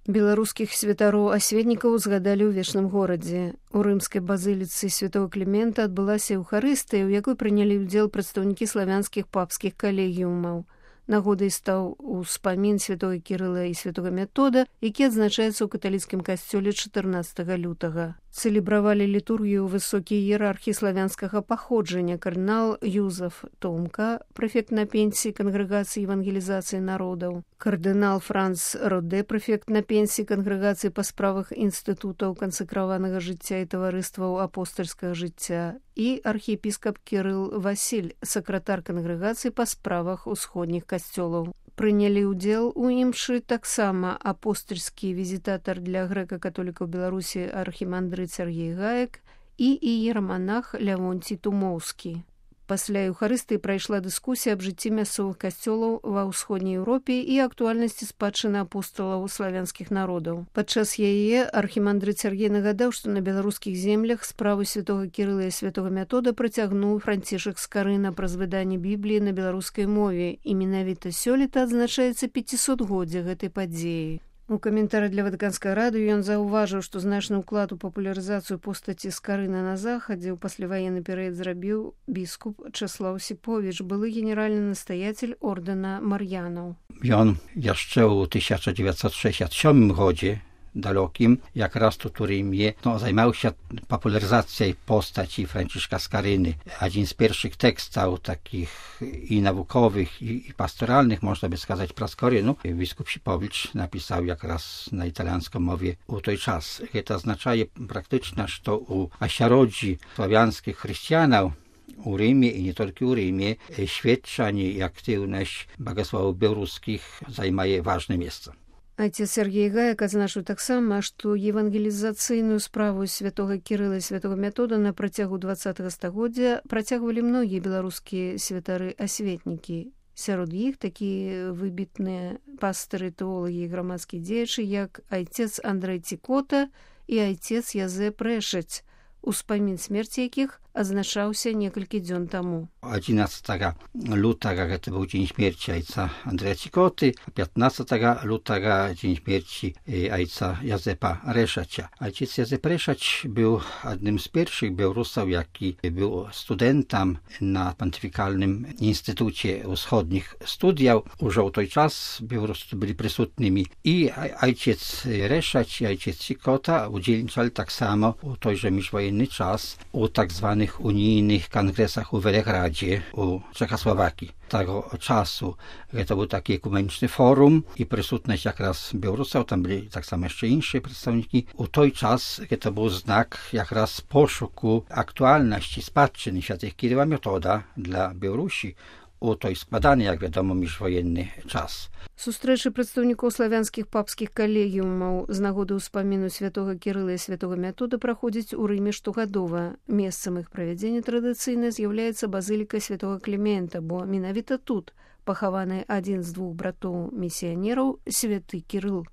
Беларускіх святароў-асветнікаў згадалі ў вечным горадзе. У рымскай базыліцы святого Клімента адбылася эўхарыстыя, у якой прынялі ўдзел прадстаўнікі славянскіх папскіх калегіумаў. Нагодай стаў успамін святого Кірыла і святого Метода, які адзначаецца ў каталіцкім касцёле 14 лютага. Цэлебравалі літургію высокія іерархі славянскага паходжання кардынал Юзеф Томка, прэфект на пенсіі Кангрэгацыі евангелізацыі народаў, кардынал Франц Роде, прэфект на пенсіі Кангрэгацыі па справах інстытутаў кансакраванага жыцця і таварыстваў апостальскага жыцця, і архіепіскап Кірыл Васіль, сакратар Кангрэгацыі па справах усходніх касцёлаў. Прынялі ўдзел у імшы таксама апостальскі візітатар для грэка-католікаў Беларусі архімандрыт Сергей Гаек і іераманах Лявонцій Тумоўскі. Пасля эўхарыстыі прайшла дыскусія аб жыцці мясцовых касцёлаў ва ўсходняй Еўропе і актуальнасці спадчыны апосталаў славянскіх народаў. Падчас яе архімандрыт Сергей нагадаў, што на беларускіх землях справу святога Кірыла і святога Метода працягнуў Францішак Скарына праз выданне Бібліі на беларускай мове, і менавіта сёлета адзначаецца 500годдзе гэтай падзеі. У каментары для Ватыканскага радыё ён заўважыў, што значны ўклад у папулярызацыю постаці Скарына на захадзе ў пасляваенны перыяд зрабіў біскуп Чэслаў Сіповіч, былы генеральны настаяцель ордэна Мар'янаў. Ён яшчэ ў 1967 годзе dalekim, jak raz tu Rimie, zajmował się popularyzacją postaci Franciszka Skaryny. Jeden z pierwszych tekstów takich i naukowych, i pastoralnych, można by skazać Praskorynu, biskup Sipowicz napisał jak raz na italianską mowie u tej czas. To oznacza praktycznie, że u asiarodzi sławiańskich chrześcijanów u Rimie i nie tylko u Rimie świadczenie i aktywność bogosławów białoruskich zajmuje ważne miejsce. Отец Сергей Гаек адзначыў таксама, што евангелізацыйную справу святога Кірыла і святого Метода на працягу 20-го стагоддзя працягвалі многія беларускія святары-асветнікі. Сярод іх такія выбітныя пастыры, тэолагі і грамадскія дзеячы, як айцец Андрэй Цікота і айцец Язэп Рэшаць, успамін смерці якіх адзначаўся некалькі дзён таму. 11 lutego to był dzień śmierci ojca Andrzeja Cikoty, a 15 lutego dzień śmierci ojca Jazepa Reszacza. Ojciec Jazep Reszacz był jednym z pierwszych Białorusów, jaki był studentem na Pontyfikalnym Instytucie Wschodnich Studiów. Już w ten czas Białoruscy byli przysutnymi i ojciec Reszacz i ojciec Cikota udzielniczali tak samo w tejże międzywojenny czas u tak zwanych unijnych kongresach u Welegradzie, u Czechosłowakii. Tego czasu to był taki ekumeniczny forum i przysutność jak raz Białorusów, tam byli tak samo jeszcze inne przedstawniki. U tej czas to był znak jak raz poszuku aktualności spadczyny świętych Kiryła Metoda dla Białorusi u tej składany, jak wiadomo, międzywojenny czas. Сустрэчы прадстаўнікоў славянскіх папскіх калегіумаў з нагоды ўспаміну святога Кірыла і святога Метода праходзяць у Рыме штогадова. Месцам іх правядзення традыцыйна з'яўляецца базыліка святога Клімента, бо менавіта тут пахаваны адзін з двух братоў місіянераў святы Кірыл.